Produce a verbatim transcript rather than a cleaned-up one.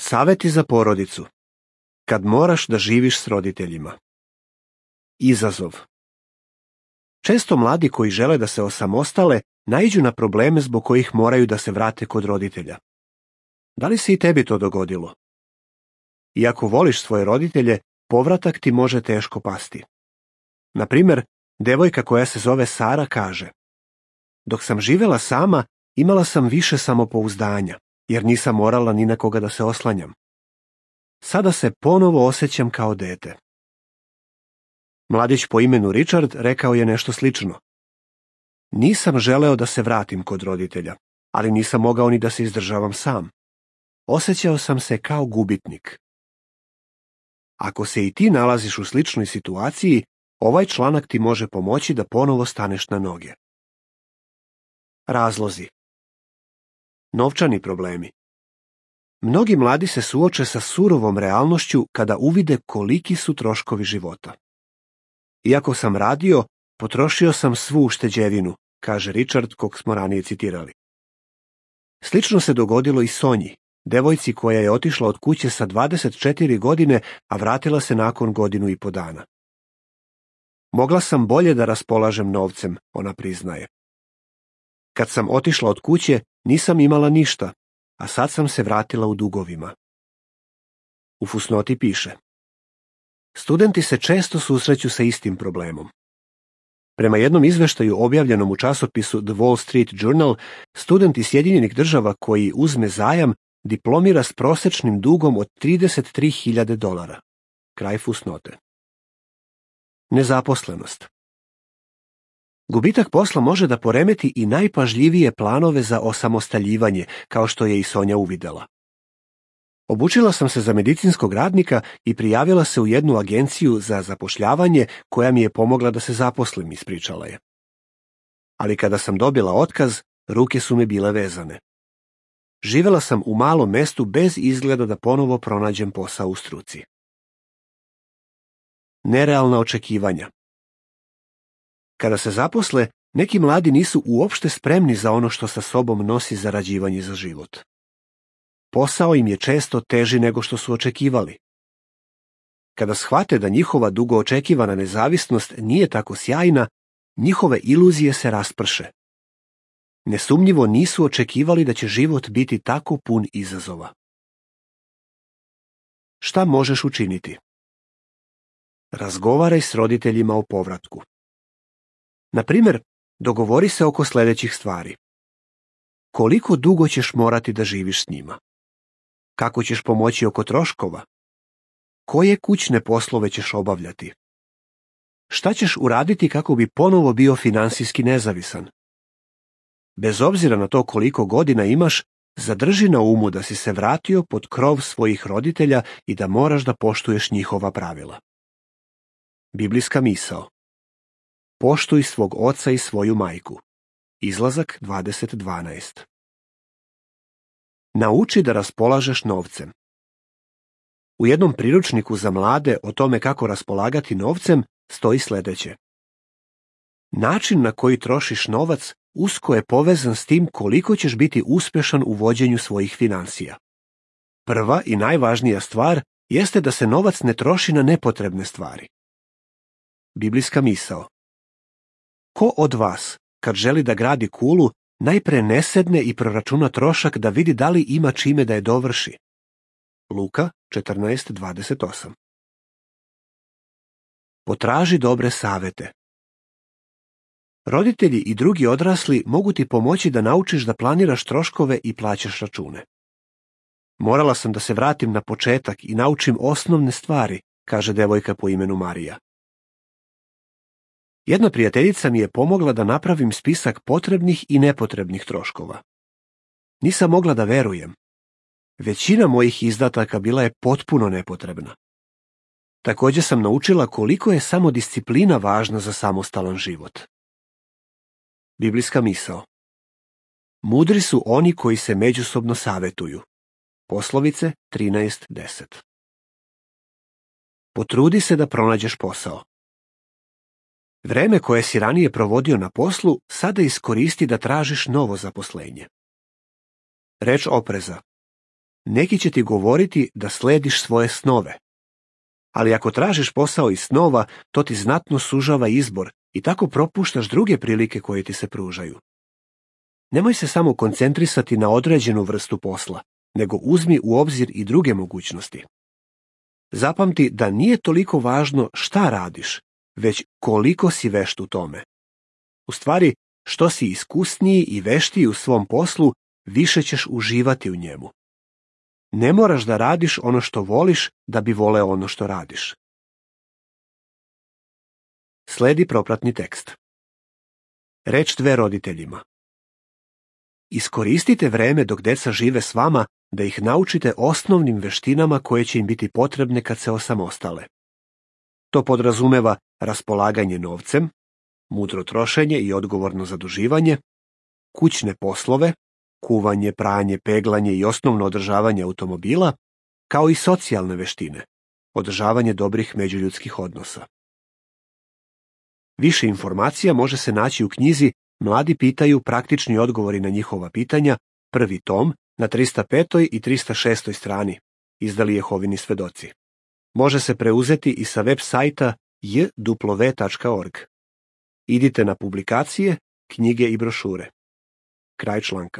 Saveti za porodicu. Kad moraš da živiš s roditeljima. Izazov. Često mladi koji žele da se osamostale naiđu na probleme zbog kojih moraju da se vrate kod roditelja. Da li se i tebi to dogodilo? Iako voliš svoje roditelje, povratak ti može teško pasti. Na primjer, devojka koja se zove Sara kaže: dok sam živela sama, imala sam više samopouzdanja, jer nisam morala ni na koga da se oslanjam. Sada se ponovo osjećam kao dete. Mladić po imenu Richard rekao je nešto slično. Nisam želeo da se vratim kod roditelja, ali nisam mogao ni da se izdržavam sam. Osjećao sam se kao gubitnik. Ako se i ti nalaziš u sličnoj situaciji, ovaj članak ti može pomoći da ponovo staneš na noge. Razlozi. Novčani problemi. Mnogi mladi se suoče sa surovom realnošću kada uvide koliki su troškovi života. Iako sam radio, potrošio sam svu ušteđevinu, kaže Richard, kog smo ranije citirali. Slično se dogodilo i Sonji, devojci koja je otišla od kuće sa dvadeset četiri godine, a vratila se nakon godinu i po dana. Mogla sam bolje da raspolažem novcem, ona priznaje. Kad sam otišla od kuće, nisam imala ništa, a sad sam se vratila u dugovima. U fusnoti piše: studenti se često susreću sa istim problemom. Prema jednom izveštaju objavljenom u časopisu The Wall Street Journal, student iz Sjedinjenih Država koji uzme zajam diplomira s prosečnim dugom od trideset tri hiljade dolara. Kraj fusnote. Nezaposlenost. Gubitak posla može da poremeti i najpažljivije planove za osamostaljivanje, kao što je i Sonja uvidela. Obučila sam se za medicinskog radnika i prijavila se u jednu agenciju za zapošljavanje koja mi je pomogla da se zaposlim, ispričala je. Ali kada sam dobila otkaz, ruke su mi bile vezane. Živela sam u malom mestu bez izgleda da ponovo pronađem posao u struci. Nerealna očekivanja. Kada se zaposle, neki mladi nisu uopšte spremni za ono što sa sobom nosi zarađivanje za život. Posao im je često teži nego što su očekivali. Kada shvate da njihova dugo očekivana nezavisnost nije tako sjajna, njihove iluzije se rasprše. Nesumnjivo nisu očekivali da će život biti tako pun izazova. Šta možeš učiniti? Razgovaraj s roditeljima o povratku. Na primjer, dogovori se oko sljedećih stvari. Koliko dugo ćeš morati da živiš s njima? Kako ćeš pomoći oko troškova? Koje kućne poslove ćeš obavljati? Šta ćeš uraditi kako bi ponovo bio finansijski nezavisan? Bez obzira na to koliko godina imaš, zadrži na umu da si se vratio pod krov svojih roditelja i da moraš da poštuješ njihova pravila. Biblijska misao. Poštuj svog oca i svoju majku. Izlazak dvadeset dvanaest. Nauči da raspolažeš novcem. U jednom priručniku za mlade o tome kako raspolagati novcem stoji sljedeće. Način na koji trošiš novac usko je povezan s tim koliko ćeš biti uspješan u vođenju svojih financija. Prva i najvažnija stvar jeste da se novac ne troši na nepotrebne stvari. Biblijska misao. Ko od vas, kad želi da gradi kulu, najpre ne sedne i proračuna trošak da vidi da li ima čime da je dovrši? Luka četrnaest dvadeset osam. Potraži dobre savete. Roditelji i drugi odrasli mogu ti pomoći da naučiš da planiraš troškove i plaćaš račune. Morala sam da se vratim na početak i naučim osnovne stvari, kaže devojka po imenu Marija. Jedna prijateljica mi je pomogla da napravim spisak potrebnih i nepotrebnih troškova. Nisam mogla da verujem. Većina mojih izdataka bila je potpuno nepotrebna. Također sam naučila koliko je samo disciplina važna za samostalan život. Biblijska misao. Mudri su oni koji se međusobno savetuju. Poslovice trinaest deset. Potrudi se da pronađeš posao. Vreme koje si ranije provodio na poslu, sada iskoristi da tražiš novo zaposlenje. Reč opreza. Neki će ti govoriti da slediš svoje snove. Ali ako tražiš posao iz snova, to ti znatno sužava izbor i tako propuštaš druge prilike koje ti se pružaju. Nemoj se samo koncentrisati na određenu vrstu posla, nego uzmi u obzir i druge mogućnosti. Zapamti da nije toliko važno šta radiš, već koliko si vešt u tome. U stvari, što si iskusniji i veštiji u svom poslu, više ćeš uživati u njemu. Ne moraš da radiš ono što voliš da bi voleo ono što radiš. Sledi propratni tekst. Reč dve roditeljima. Iskoristite vreme dok deca žive s vama da ih naučite osnovnim veštinama koje će im biti potrebne kad se osamostale. To podrazumeva raspolaganje novcem, mudro trošenje i odgovorno zaduživanje, kućne poslove, kuvanje, pranje, peglanje i osnovno održavanje automobila, kao i socijalne veštine, održavanje dobrih međuljudskih odnosa. Više informacija može se naći u knjizi Mladi pitaju, praktični odgovori na njihova pitanja, prvi tom, na trista petoj i trista šestoj strani, izdali Jehovini svedoci. Može se preuzeti i sa web sajta j w tačka org. Idite na publikacije, knjige i brošure. Kraj članka.